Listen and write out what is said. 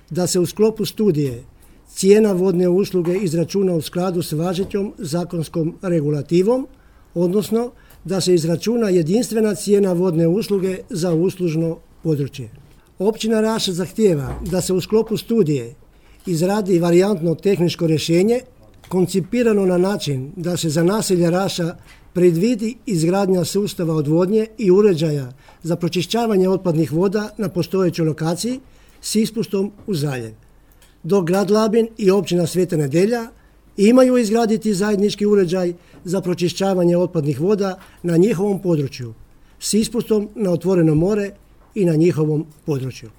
da se u sklopu studije cijena vodne usluge izračuna u skladu s važećom zakonskom regulativom, odnosno da se izračuna jedinstvena cijena vodne usluge za uslužno područje. Općina Raša zahtijeva da se u sklopu studije izradi varijantno tehničko rješenje koncipirano na način da se za naselje Raša predvidi izgradnja sustava odvodnje i uređaja za pročišćavanje otpadnih voda na postojećoj lokaciji s ispustom u zaljev. Dok grad Labin i općina Sveta Nedelja imaju izgraditi zajednički uređaj za pročišćavanje otpadnih voda na njihovom području s ispustom na otvoreno more i na njihovom području.